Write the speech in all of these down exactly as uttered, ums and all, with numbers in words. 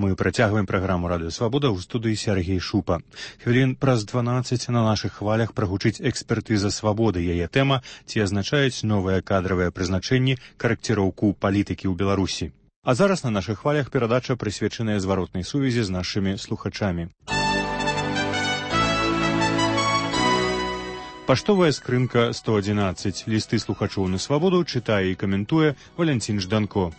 Мы працягваем праграму «Радыё Свабода» ў студыі Сергей Шупа. Хвілін праз дванаццаць на нашых хвалях прагучыць экспертыза свабоды. Яе тэма «Ці азначаюць новыя кадравыя прызначэнні карэкціроўку палітыкі ў Беларусі». А зараз на нашых хвалях перадача прысвечаная зваротнай сувязі з нашымі слухачамі. Паштовая скрынка сто адзінаццаць. Лісты слухачоў на свабоду чытае і каментуе Валянцін Жданко.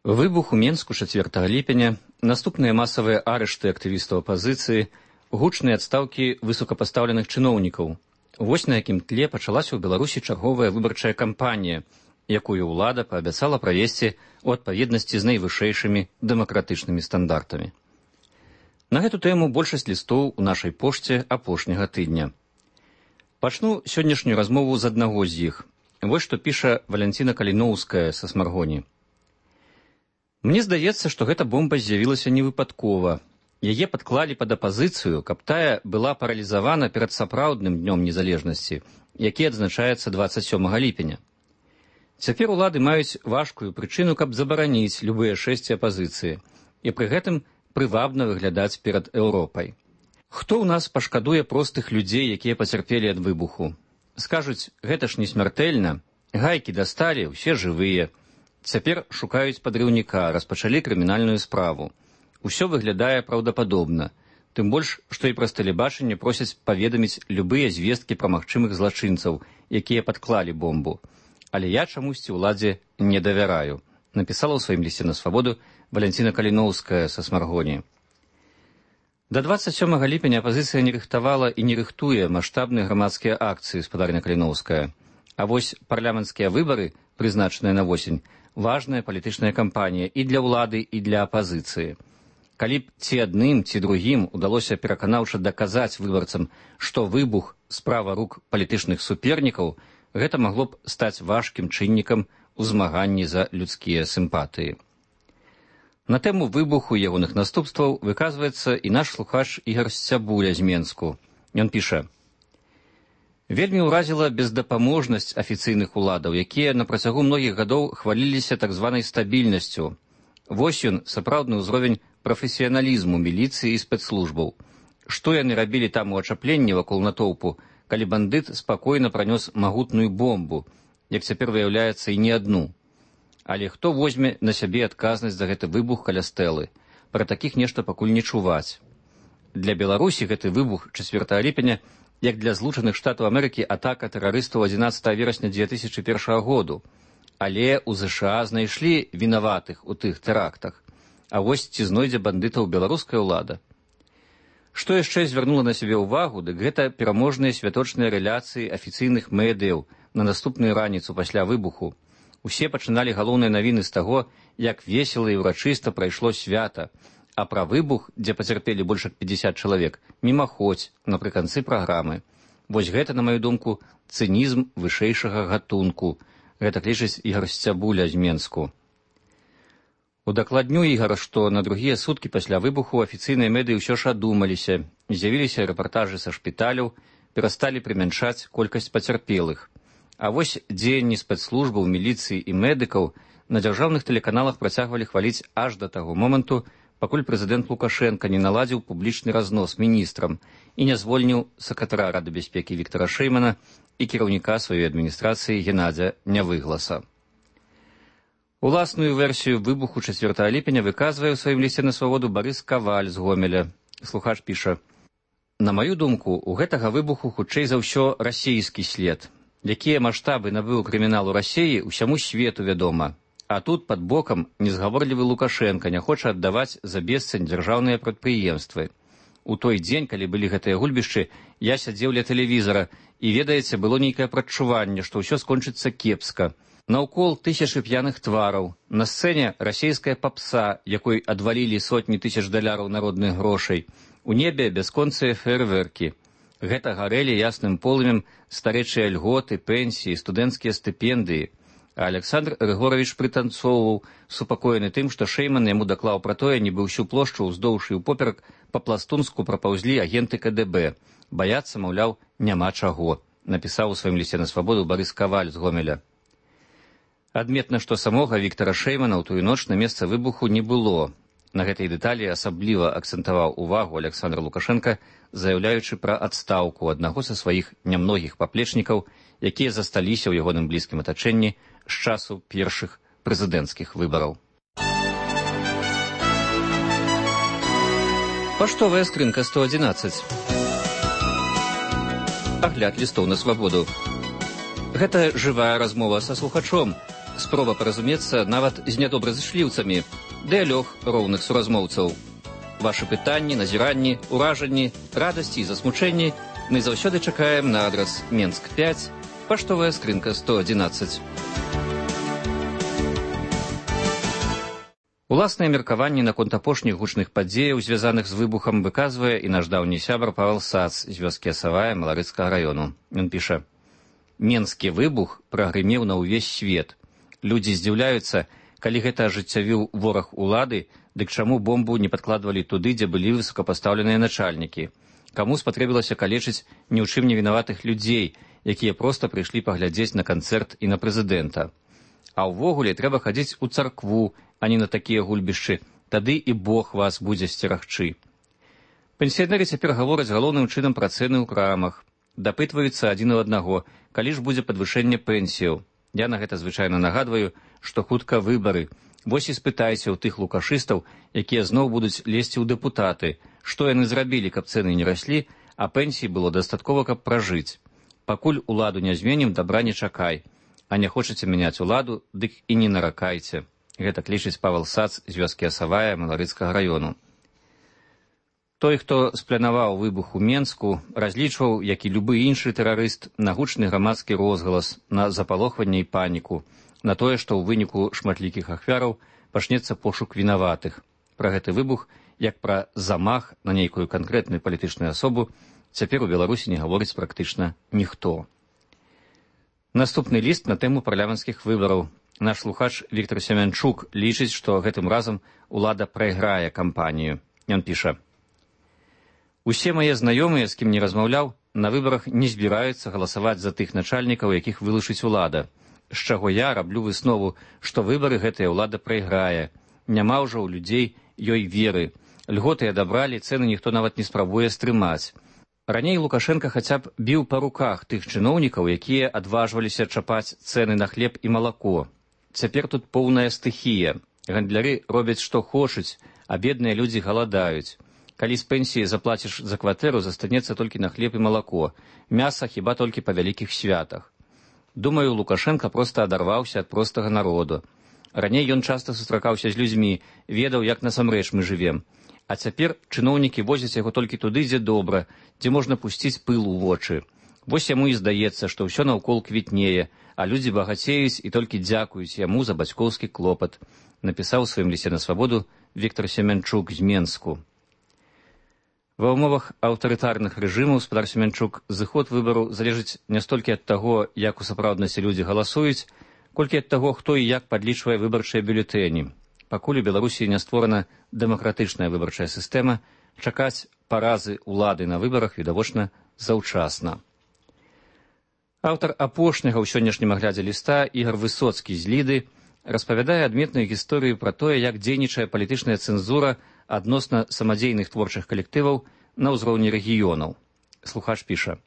Выбух у Менску чацвёртага ліпеня, наступныя масавыя арышты актывістаў апазіцыі, гучныя адстаўкі высокапастаўленых чыноўнікаў. Вось на якім тле пачалася ў Беларусі чарговая выбарчая кампанія, якую ўлада паабяцала правесці ў адпаведнасці з найвышэйшымі дэмакратычнымі стандартамі. На гэту тэму большасць лістоў у нашай пошце апошняга тыдня. Пачну сённяшнюю размову з аднаго з іх. Вось што піша Валянціна Каліноўская са Смаргоні. Мне здаецца, што гэта бомба з'явілася невыпадкова. Яе падклалі пад апазіцыю, каб тая была паралізавана перад сапраўдным днём незалежнасці, які адзначаецца дваццаць сёмага ліпеня. Цяпер улады маюць важкую прычыну, каб забараніць любыя шэсці апазіцыі і пры гэтым прывабна выглядаць перад Еўропай. Хто ў нас пашкадуе простых людзей, якія пацярпелі ад выбуху? Скажуць, гэта ж не смяртэльна, гайкі дасталі, усе жывыя. Цяпер шукаюць падрыўніка, распачалі крымінальную справу. Усё выглядае праўдападобна, тым больш, што і праз тэлебачанне просяць паведаміць любыя звесткі пра магчымых злачынцаў, якія падклалі бомбу. Але я чамусьці ўладзе не давяраю, напісала ў сваім лісце на свабоду Валянціна Каліноўская са Смаргоні. Да дваццаць сёмага ліпеня апазіцыя не рыхтавала і не рыхтуе маштабныя грамадскія акцыі, спадарня Каліноўская. А вось парламенцкія выбары, прызначаныя на восень, важная палітычная кампанія і для ўлады, і для апазіцыі. Калі б ці адным, ці другім удалося пераканаўча даказаць выбарцам, што выбух – справа рук палітычных супернікаў, гэта магло б стаць важкім чыннікам у змаганні за людскія сімпатыі. На тэму выбуху і ягоных наступстваў выказваецца і наш слухач Ігар Сцябуля з Менску. Ён піша: «Вельмі ўразіла бездапаможнасць афіцыйных уладаў, якія на працягу многіх гадоў хваліліся так званай стабільнасцю. Вось ён, сапраўдны ўзровень прафесіяналізму міліцыі і спецслужбаў. Што яны рабілі там у ачапленні вакол натоўпу, калі бандыт спакойна пранёс магутную бомбу, як цяпер выяўляецца і не адну. Але хто возьме на сябе адказнасць за гэты выбух каля стэлы? Пра такіх нешта пакуль не чуваць. Для Беларусі гэты выбух чацвёртага ліпеня як для Злучаных Штатаў Амерыкі атака тэрарыстаў адзінаццатага верасня дзве тысячы першага году. Але ў ЗША знайшлі вінаватых у тых тэрактах. А вось ці знойдзе бандытаў беларуская ўлада? Што яшчэ звярнула на сябе ўвагу, дык гэта пераможныя святочныя рэляцыі афіцыйных медыяў на наступную раніцу пасля выбуху. Усе пачыналі галоўныя навіны з таго, як весела і ўрачыста прайшло свята, а пра выбух, дзе пацярпелі больш як пятьдесят чалавек, мімаходзь напрыканцы праграмы. Вось гэта, на маю думку, цынізм вышэйшага гатунку. Гэта лічыць Ігар Сцябуля з Менску. Удакладню Ігара, што на другія суткі пасля выбуху афіцыйныя медыі ўсё ж адумаліся, з'явіліся рэпартажы са шпіталяў, перасталі прымяншаць колькасць пацярпелых. А вось дзеянні спецслужбаў, міліцыі і медыкаў на дзяржаўных тэлеканалах працягвалі хваліць аж да таго моманту, пакуль прэзідэнт Лукашенка не наладзіў публічны разнос міністрам і не звольніў сакратара Рады бяспекі Віктара Шэймана і кіраўніка сваёй адміністрацыі Геннадзя Нявыгласа. Уласную версію выбуху чацвёртага ліпеня выказвае ў сваім лісце на свабоду Барыс Каваль з Гомеля. Слухач піша: «На маю думку, у гэтага выбуху хутчэй за ўсё расійскі след. Якія маштабы набыў крыміналу Расіі, усяму свету вядома. А тут пад бокам незгаворлівы Лукашенка не хоча аддаваць за бесцань дзяржаўныя прадпрыемствы. У той дзень, калі былі гэтыя гульбішчы, я сядзеў ля тэлевізара, і, ведаеце, было нейкае прадчуванне, што ўсё скончыцца кепска. Наўкол тысячы п'яных твараў, на сцэне расійская папса, якой адвалілі сотні тысяч даляраў народных грошай, у небе бясконцыя фейерверкі. Гэта гарэлі ясным полымем старэчыя льготы, пенсіі, студэнцкія стыпендыі. А Александр Григорович прытанцоўваў, супакоены тым, што Шэйман яму даклаў пра тое, нібы ўсю плошчу ўздоўж і ўпоперак па-пластунску прапаўзлі агенты ка дэ бэ. Баяцца, маўляў, няма чаго, напісаў у сваім лісце на свабоду Барыс Каваль з Гомеля. Адметна, што самога Віктара Шэймана ў тую ноч на месца выбуху не было. На гэтай дэталі асабліва акцэнтаваў увагу Аляксандр Лукашенка, заяўляючы пра адстаўку аднаго са сваіх нямногіх паплечнікаў, якія засталіся ў ягоным блізкім атачэнні з часу першых прэзідэнцкіх выбараў. Паштовая скрынка сто адзінаццаць. Агляд лістоў на свабоду. Гэта жывая размова са слухачом, спроба паразумецца нават з нядобразышліўцамі, дыялог роўных суразмоўцаў. Вашы пытанні, назіранні, уражанні, радасці і засмучэнні мы заўсёды чакаем на адрас Менск пяць, паштовая скрынка сто адзінаццаць. Уласнае меркаванне наконт апошніх гучных падзеяў, звязаных з выбухам, выказвае і наш даўні сябар Павел Сац з вёскі Асавая Маларыцкага раёну. Ён піша: «Менскі выбух прагрымеў на ўвесь свет. Людзі здзіўляюцца, калі гэта ажыццявіў вораг улады, дык чаму бомбу не падкладвалі туды, дзе былі высокапастаўленыя начальнікі? Каму спатрэбілася калечыць ні ў чым не вінаватых людзей, якія проста прыйшлі паглядзець на канцэрт і на прэзідэнта? А ўвогуле трэба хадзіць у царкву, а не на такія гульбішчы, тады і Бог вас будзе сцерагчы». Пенсіянеры цяпер гавораць галоўным чынам пра цэны ў крамах. Дапытваюцца адзін у аднаго, калі ж будзе падвышэнне пенсіяў. Я на гэта звычайна нагадваю, што хутка выбары. Вось і спытайся ў тых лукашыстаў, якія зноў будуць лезці ў дэпутаты, што яны зрабілі, каб цэны не раслі, а пенсій было дастаткова, каб пражыць. Пакуль уладу не зменім, дабра не чакай. А не хочаце мяняць уладу, дык і не наракайце. Гэта клічыць Павел Сац з вёскі Асавая Маларыцкага раёну. Той, хто спланаваў выбух у Менску, разлічваў, як і любы іншы тэрарыст, на гучны грамадскі розгалас, на запалохванне і паніку, на тое, што ў выніку шматлікіх ахвяраў пачнецца пошук вінаватых. Пра гэты выбух, як пра замах на нейкую канкрэтную палітычную асобу, цяпер у Беларусі не гаворыць практычна ніхто. Наступны ліст на тэму парламенцкіх выбараў. Наш слухач Віктор Семянчук лічыць, што гэтым разам улада прайграе кампанію. Ён піша: «Усе мае знаёмыя, з кім не размаўляў, на выбарах не збіраюцца галасаваць за тых начальнікаў, якіх вылучыць улада. З чаго я раблю выснову, што выбары гэтая ўлада прайграе. Няма ўжо ў людзей ёй веры. Льготы адабралі, цэны ніхто нават не спрабуе стрымаць. Раней Лукашенка хаця б біў па руках тых чыноўнікаў, якія адважваліся чапаць цэны на хлеб і малако. Цяпер тут поўная стыхія. Гандляры робяць што хочуць, а бедныя людзі галадаюць. Калі з пенсіі заплаціш за кватэру, застанецца толькі на хлеб і малако. Мяса хіба толькі па вялікіх святах. Думаю, Лукашенка проста адарваўся ад простага народу. Раней ён часта сустракаўся з людзьмі, ведаў, як насамрэч мы жывем. А цяпер чыноўнікі возяць яго толькі туды, дзе добра, дзе можна пусціць пыл у вочы. Вось яму і здаецца, што ўсё наўкол квітнее, а людзі багацеюць і толькі дзякуюць яму за бацькоўскі клопат, напісаў у сваім лісце на свабоду Віктор Семянчук з Менску. Ва ўмовах аўтарытарных рэжымаў, спадар Семянчук, зыход выбару залежыць не столькі ад таго, як у сапраўднасці людзі галасуюць, колькі ад таго, хто і як падлічвае выбарчыя бюлетэні. Пакуль у Беларусі не створана дэмакратычная выбарчая сістэма, чакаць паразы ўлады на выбарах відавочна заўчасна. Аўтар апошняга ў сённяшнім аглядзе ліста Ігар Высоцкі з Ліды распавядае адметную гісторыю пра тое, як дзейнічае палітычная цэнзура адносна самадзейных творчых калектываў на ўзроўні рэгіёнаў. Слухач піша: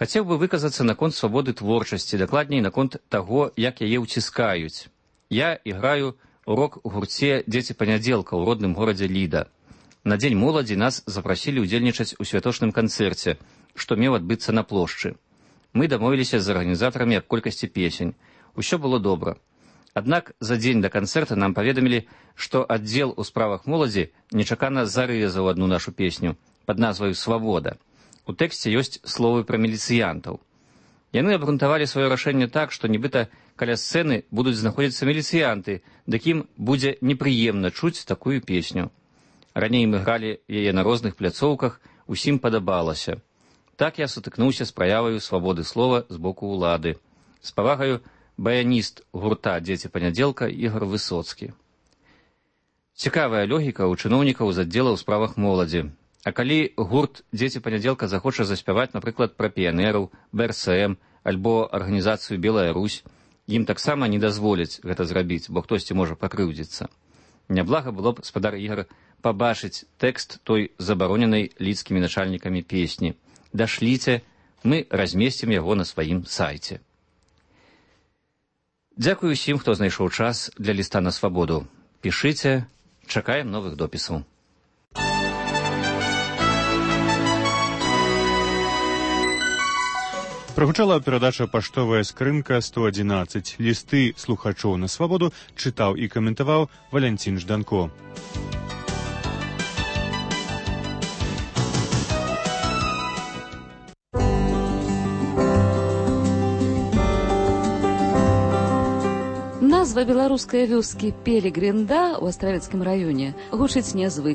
«Хацеў бы выказацца наконт свабоды творчасці, дакладней наконт таго, як яе ўціскаюць. Я іграю у рок-гурце «Дзеці панядзелка» ў родным горадзе Ліда. На дзень моладзі нас запрасілі ўдзельнічаць у святочным канцэрце, што меў адбыцца на плошчы. Мы дамовіліся з арганізатарамі аб колькасці песень. Усё было добра. Аднак за дзень да канцэрта нам паведамілі, што аддзел у справах моладзі нечакана зарэзаў адну нашу песню пад назваю «Свабода». У тэксце ёсць словы пра міліцыянтаў. Яны абгрунтавалі сваё рашэнне так, што нібыта каля сцэны будуць знаходзіцца міліцыянты, дык ім будзе непрыемна чуць такую песню. Раней мы гралі яе на розных пляцоўках, усім падабалася. Так я сутыкнуўся з праяваю свабоды слова з боку ўлады. З павагаю, баяніст гурта «Дзеці панядзелка» Ігар Высоцкі». Цікавая логіка ў чыноўнікаў з аддзела ў справах моладзі. А калі гурт «Дзеці панядзелка» захоча заспяваць, напрыклад, пра піянераў, бэ эр эс эм альбо арганізацыю «Белая Русь», Ім таксама не дазволяць гэта зрабіць, бо хтосьці можа пакрыўдзіцца. Няблага было б, спадар Ігар, пабачыць тэкст той забароненай лідскімі начальнікамі песні. Дашліце, мы размесцім яго на сваім сайце. Дзякую усім, хто знайшоў час для ліста на свабоду. Пішыце, чакаем новых допісаў. Прагучала перадача «Паштовая скрынка сто адзінаццаць». Лісты слухачоў на свабоду чытаў і каментаваў Валянцін Жданко. Назва беларускай вёскі Пелегринда ў Астравецкім раёне гучыць нязвыкла.